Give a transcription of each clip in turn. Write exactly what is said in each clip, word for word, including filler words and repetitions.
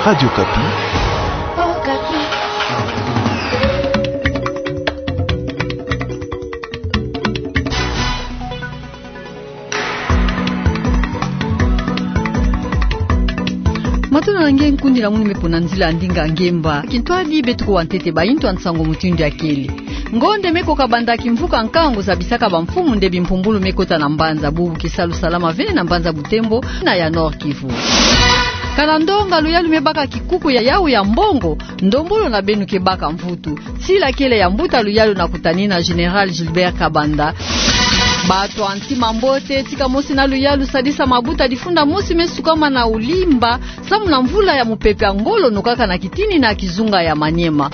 Radio Okapi. Matondo na nge nkundi na munu me pona nzila ya ndinga ngemba. Kintwadi beto kuwa ntete ba intu ya nsangu mutindu ya kele. Ngonde me koka banda kimvuka nkangu zabisaka bamfumu nde bimpumbulu me kota na mbanza, bubu kisalu salama ve na mbanza Butembo na ya Nord-Kivu. Kana ndonga luyalu me baka kikuku ya yawu ya mbongo, ndombolo na beno ke baka mvutu. Sila kele ya mbuta luyalu na kutanina Général Gilbert Kabanda. Bato ya ntima mbote, tika mosi na luyalu sadisa mabuta difunda mosi me sukama na Ulimba, samu na mvula ya mupepe ya ngolo nokaka na kitini na kizunga ya Maniema.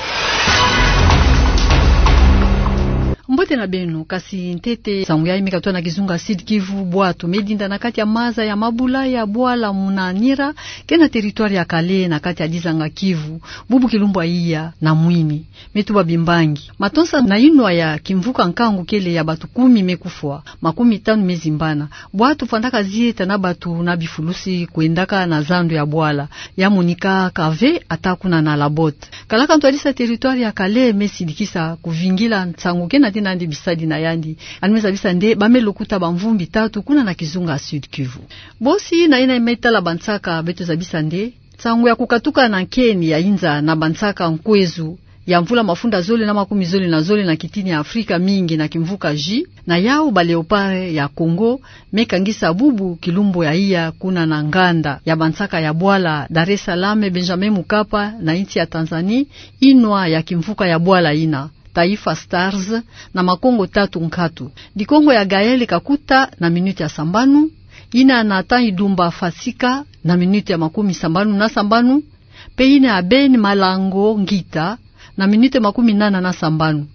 Mbote na beno, kasi ntete nsangu yayi me katuka na kizunga Sud-Kivu, bwatu me dinda na kati ya maza ya mabula ya bwala Munanira, ke na territoire ya Kale na kati ya dizanga Kivu, bubu kilumbu ya iya na mwini me tuba bimbangi. Matonsa na inwa ya kimvuka nkangu kele ya bato kumi me kufwa, makumi tanu me zimbana. Bwatu fwandaka zieta na bato na bifulusi kwendaka na zandu ya bwala, ya monikaka ve ata kuna na Labotte. Kalaka ntwadisa territoire ya Kale me sidikisa kuvingila nsangu ke na tina nde bisadi na yandi. Yandi me zabisa nde ba me lokuta bamvumbi tatu kuna na kizunga Sud-Kivu. Bosi na yina me tala bansaka, beto zabisa nde nsangu ya kukatuka na nkeni ya inza na bansaka nkwezu ya mvula mafunda zole na makumi zole na zole na kitini ya Afrika mingi na kimvuka J, na yawu ba léopard ya Congo me kangisa bubu kilumbu ya iya kuna na nganda ya bansaka ya bwala Dar es Salaam Benjamin Mkapa na insi ya Tanzanie, inwa ya kimvuka ya bwala yina Taifa Stars na makongo tatu nkatu. Dikongo ya Gaël Kakuta na minute ya sambanu, yina ya Nathan Idumba Fasika na minute ya makumi sambanu na sambanu, pe yina ya Ben Malango Ngita na minute makumi nana na sambanu.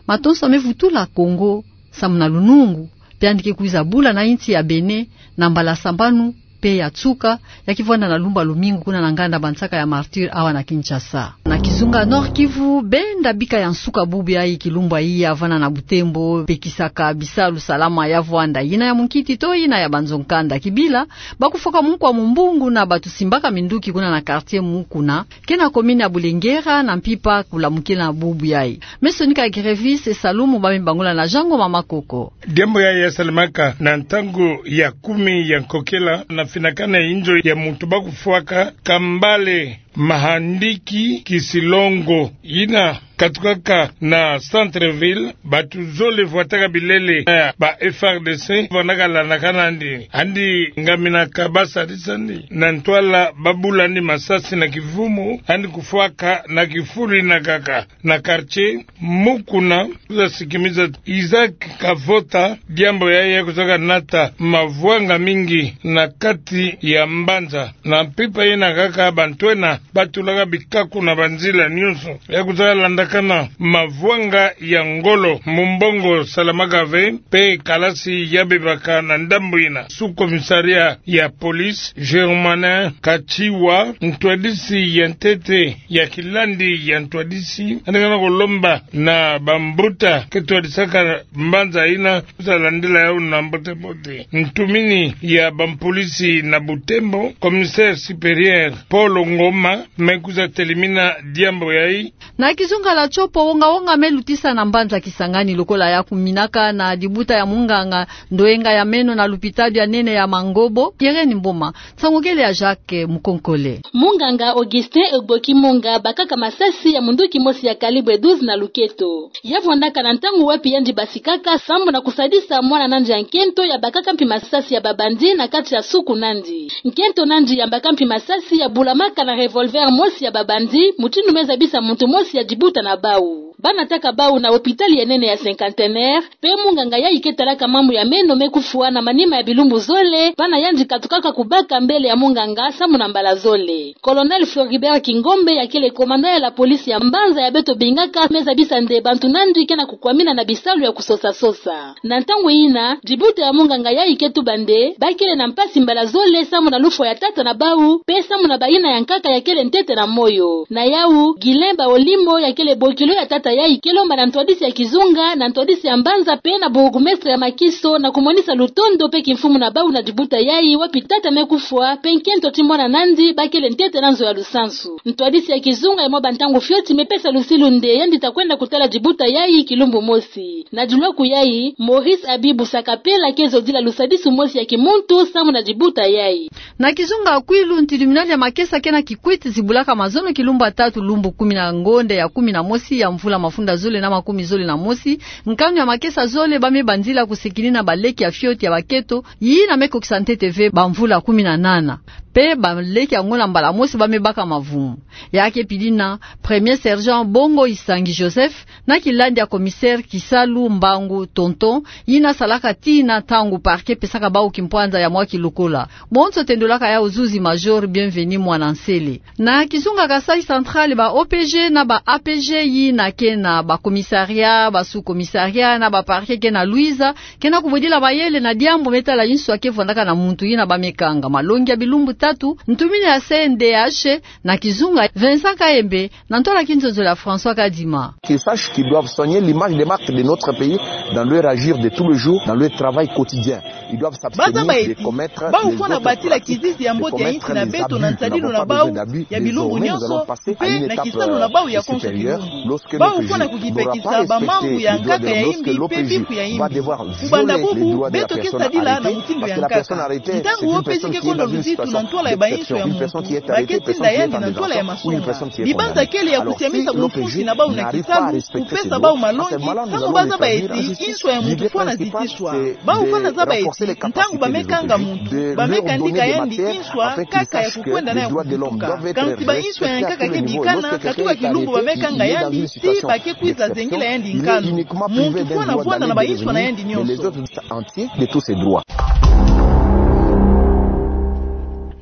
Matonsa me vutula Congo samu na lunungu, pe yandi ke kwiza bula na insi ya Bénin na mbala sambanu pe ya nsuka, ya kivwanda na lumbu ya lumingu kuna na nganda bansaka ya Martyrs awa na Kinshasa. Na kizunga Nord-Kivu, benda bika ya nsuka bubu yayi kilumbu ya iya vanda na Butembo, pekisaka bisalu salama ya vwanda, yina ya munkiti to yina ya banzo nkanda. Kibila, ba kufwaka munkwa mumbungu na bato simbaka minduki kuna na quartier Mukuna, ke na commune ya Bulengera, na mpimpa kulamukina bubu yayi. Me sonika Grevis Salumu, ba me bangula na Jean Ngoma Makoko. Diambu yayi ya salamaka na ntangu ya kumi ya nkokela na finakana ya inzo ya muntu ba kufwaka Kambale Mahandiki Kisilongo, yina katukaka na centre-ville. Bato zole vwataka bilele ya ba F A R D C, vandaka landaka nandi, yandi ngaminaka ba sadisani na ntwala ba bula nandi masasi na kivumu, yandi kufwaka na kifulu yina kaka na quartier Mukuna. Za sikimiza Isaac Kavota, diambu yayi ya kuzaka nata mavwanga mingi na kati ya mbanza. Na mpimpa yina kaka bantu ena ba tulaka bikaku na banzila nyonso ya kuzaka landakana mavwanga ya ngolo, mumbongo salamaka ve, pe kalasi ya bebaka na ndambu yina. Sous-commissariat ya police Germanin Kachiwa, ntwadisi ya ntete ya kilandi ya ntwadisi, yandi kana kolomba na bambuta ke twadisaka mbanza yina, za landila yawu na mbote-mbote. Ntumini ya bampolisi na Butembo, commissaire supérieur Paul Ngoma, me kwiza telimina diambu yayi. Na kizunga la Tshopo, wonga-wonga me lutisa na mbanza Kisangani lokola ya kuminaka na dibuta ya munganga ndoyenga ya meno na lupitalu ya nene ya Mangobo, Irène Mboma. Nsangu kele ya Jacques Mukonkole. Munganga Augustin Egboki Munga bakaka masasi ya munduki mosi ya calibre douze na luketo. Ya vwandaka na ntangu wapi yandi basikaka sambu na kusadisa mwana nandi ya nkento ya bakaka mpi masasi ya ba bandits na kati ya suku nandi. Nkento nandi ya baka mpi masasi ya bulamaka na revolver mosi ya ba bandits, mutindu me zabisa muntu mosi ya dibuta na bawu. Ba nataka bawu na hôpital ya nene ya Cinquantenaire, pe munganga yayi ke talaka mambu ya meno me kufwa na manima ya bilumbu zole, bana yandi katukaka kubaka mbele ya munganga sambu na mbala zole. Colonel Floribert Kingombe, ya kele commandant ya la police ya mbanza ya beto bingaka, me zabisa nde bantu nandi ke na kukwamina na bisalu ya kusosa-sosa. Na ntangu yina, dibuta ya munganga yayi ke tuba nde ba kele na mpasi mbala zole sambu na lufwa ya tata na bawu, pe sambu na bayina ya nkaka ya kele ntete na moyo. Na yawu, Guylain Baolimbo, ya kele bokilo ya tata Yayi ke lomba na ntwadisi ya kizunga, na ntwadisi ya mbanza pe na bourgmestre ya Makiso na kumonisa lutondo pe kimfumu na bau na dibuta yayi, wapi tata me kufwa pe nkento ti mwana na yandi bakele ntete na nzo ya lusansu. Ntwadisi ya kizunga ya mwa bantangu fioti me pesa lusilu nde yandi ta kwenda kutala dibuta yayi kilumbu mosi. Na dilwaku yayi, Maurice Abibou Sakapela ke zodila lusadisu mosi ya kimuntu samu na dibuta yayi. Na kizunga ya Kwilu, tribunal ya Makesa ke na Kikwit zibulaka mazono kilumbu ya tatu lumbu kumi na ngonde ya kumi na mosi ya mvula mafunda zole na makumi zole na mosi, nkanu ya Makesa zole ba me banzila kusikini na baleki ya fioti ya baketo, yina me kokisa ntete ve bamvula kumi na nana. Pe baleki yango na mbala mosi ba me baka mavumu. Ya ke pili na premier sergent Bongo Isangi Joseph, na kilandi ya commissaire Kisalu Mbangu Tonton, yina salaka tina ntangu parquet pesaka bau kimpwanza ya mwa kilokola. Bonso tendolaka yau zuzi major Bienvenu Mwana Nsele. Na kizunga Kasaï Central, ba O P G na ba A P G yina ke na ba commissariat, ba sous-commissariat na ba parquet ke na Luiza, ke na kubwedila mayele na diambu me tala inswa ke vwandaka na muntu yina ba me kanga. Malongi ya bilumbu tatu, ntumini ya C N D H, na kizunga Vincent Kayembe, na ntwala ya kinzonzolo ya François Kadima. Qu'ils sachent qu'ils doivent soigner l'image des marques de notre pays dans leur agir de tous les jours, dans leur travail quotidien. Ils doivent s'abstenir de commettre les autres pratiques, de commettre les abus. Nous n'avons pas besoin d'abus, désormais, nous allons passer à une étape, euh, supérieure. Lorsque l'O P J n'aura pas respecté les droits de l'homme, lorsque l'O P J va devoir violer les droits de la personne arrêtée, parce que la personne arrêtée, c'est une personne qui est dans une situation d'exception, une personne qui est arrêtée, une personne qui est en détention, ou une personne qui est condamnée. Alors, si l'O P J n'arrive pas à respecter ces droits, à ce moment-là, nous allons rétablir un système. L'idée principale, c'est de renforcer les capacités des O P J, de leur donner des matières afin qu'ils sachent que les droits de l'homme doivent être respectés à tous les niveaux. Et lorsque quelqu'un est arrêté, il est dans une situation d'exception, il est uniquement privé d'un droit d'aller et de revenir, mais les autres entiers de tous ses droits.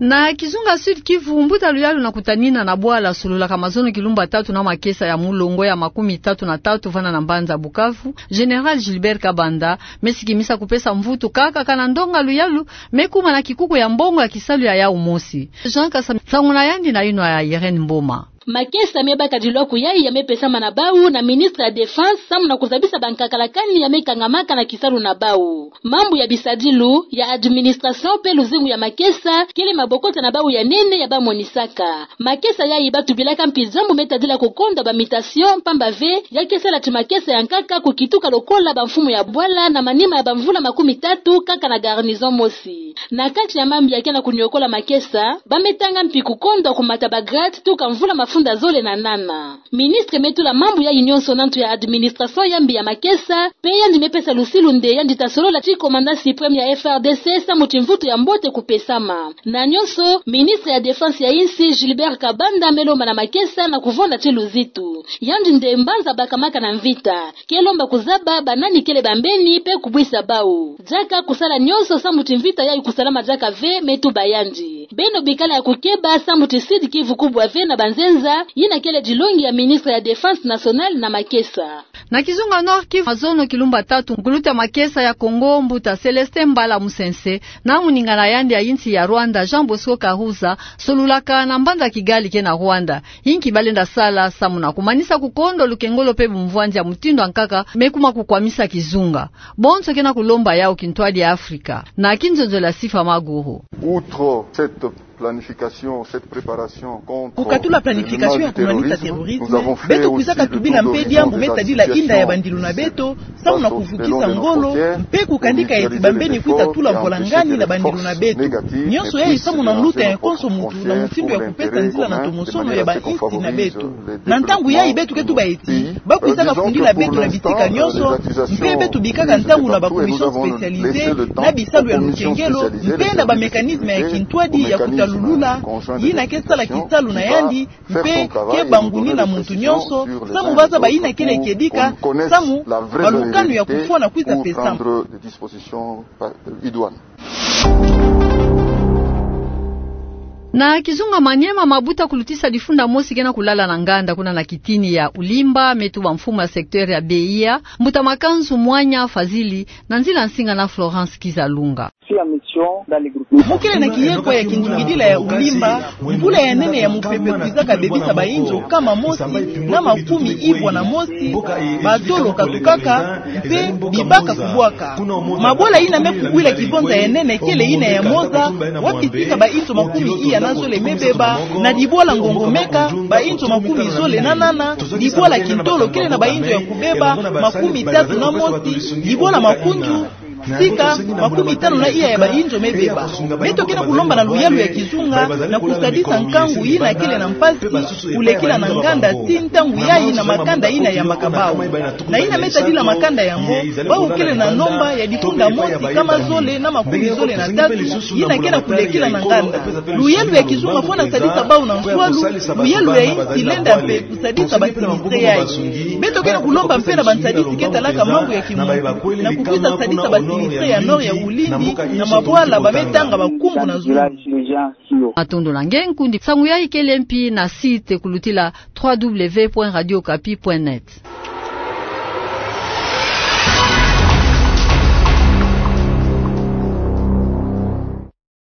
Na kizunga Sud-Kivu, mbuta luyalu na kutanina na bwala sololaka mazono kilumbu ya tatu na makesa ya mulongo ya makumi tatu na tatu vana na mbanza Bukavu, Général Gilbert Kabanda, me sikimisa kupesa mvutu kaka kana ndonga luyalu me kuma na kikuku ya mbongo ya kisalu ya yau mosi. Jean Kasa, nsangu na yandi na yinwa ya Irène Mboma. Makesa me baka dilwaku yayi ya me pesama na bau na ministre ya Défense samu na kuzabisa bankakalakani ya me kangamaka na kisalu na bau. Mambu ya bisadilu, ya administration pe luzingu ya makesa kele mabokota na bau ya nene ya ba monisaka. Makesa yayi ba tubilaka mpi diambu me tadila kukondwa ba mutation, pamba ve ya ke sala ti makesa ya nkaka kukituka lokola bamfumu ya bwala na manima ya bamvula makumi tatu kaka na garnison mosi. Na kati ya mambi ya ke na kuniokola makesa, ba me tanga mpi kukondwa kumata ba grade tuka mvula mafunda zole na nana. Ministre me tula mambu yayi nyonso na ntu ya administration ya mbi ya makesa, pe yandi me pesa lusilu nde yandi ta solola ti commandant suprême ya F R D C samu ti mvutu ya mbote kupesama. Na nyonso, ministre ya Défense ya insi, Gilbert Kabanda, me lomba na makesa na kuvonda ti luzitu. Yandi nde mbanza bakamaka na mvita. Ke lomba kuzaba banani kele bambeni pe kubwisa bau. Diaka kusala nyonso samu ti mvita yayi kusalama diaka ve, me tuba yandi. Beno bikala ya kukeba samu ti Sud-Kivu kubwa ve na banzenza, yina kele dilongi ya ministre ya Défense nationale na makesa. Na kizunga Nord-Kivu, mazono kilumbu ya tatu, nkulutu ya makesa ya Congo, mbuta Célestin Mbala Musense, na muninga na yandi ya insi ya Rwanda, Jean Bosco Kahuza, solulaka na mbanza Kigali ke na Rwanda. Inki ba lenda sala samu na kumanisa kukondwa lukengolo pe bumvwanzi ya mutindu ya nkaka me kuma kukwamisa kizunga. Bonso ke na kulomba yau kintwadi ya Afrika. Na kinzonzolo ya Sifa Maguru. Outre cette planification, cette préparation contre le mal du terrorisme, nous avons fait aussi le tour de région de Kasai Oriental. Kukatula planification ya kumanisa terrorisme, beto kwizaka tubila mpe diambu me tadila inda ya bandilu na beto, samu na kuvukisa ngolo, mpe kukandika eti bambeni kwiza tula mvwalangani na bandilu na beto. Nyonso yayi samu na nluta ya konso muntu na mutindu ya kupesa nzila na tomosono ya bainsi na beto. Na ntangu yayi beto ke tuba eti, ba kwizaka fundila beto na bitika nyonso, mpe beto bikaka ntangu na ba commission spécialisée, na bisalu ya lukengelo, mpe na ba mécanisme ya kintwadi ya kutalulula, yina ke sala kisalu na yandi, mpe ke bangunina muntu nyonso, samu ba zaba yina kele kedika, samu balukanu ya kufwa na kwiza pesama. Na kizunga Maniema, mabuta kulutisa difunda mosi ke na kulala na nganda kuna na kitini ya Ulimba, me tuba mfumu ya secteur ya Beia, mbuta Makanzu Mwanya Fazili, na nzila nsinga na Florence Kizalunga. Mu kele na kiyekwa ya kindingidila ya Ulimba, mbula ya nene ya mupepe kwizaka bebisa bainzo kama mosi na makumi ivwa na mosi batolo katukaka mpe bibaka kubwaka. Mabwala yina me kuwila kivonza ya nene kele yina ya Moza, wapi tika bainzo makumi iya na zole me beba, na Dibwala Ngongomeka, bainzo makumi zole na nana, Dibwala Kintolo kele na bainzo ya kubeba makumi tatu na mosi, Dibwala Makundu, sika makumi tano na iya ya bainzo me beba. Beto ke na kulomba na luyalu ya kizunga na kusadisa nkangu yina kele na mpasi, kulekila na nganda tii ntangu yayi na makanda yina yambaka bau. Na yina me tadila makanda yango, bau kele na nomba ya difunda mosi kama zole na makumi zole na tatu, yina ke na kulekila na nganda. Luyalu ya kizunga fwana sadisa bau na nswalu, luyalu ya insi lenda mpe kusadisa basinistre yayi. Beto ke na kulomba mpe na bansadisi ke talaka mambu ya kimuntu na kukwiza sadisa basinistre ya nord ya Ulinzi na mabwala ba me tanga bakumbu na zulu. Matondo na nge nkundi. Nsangu yayi kele mpi na site kulutila trois W point radio okapi point net.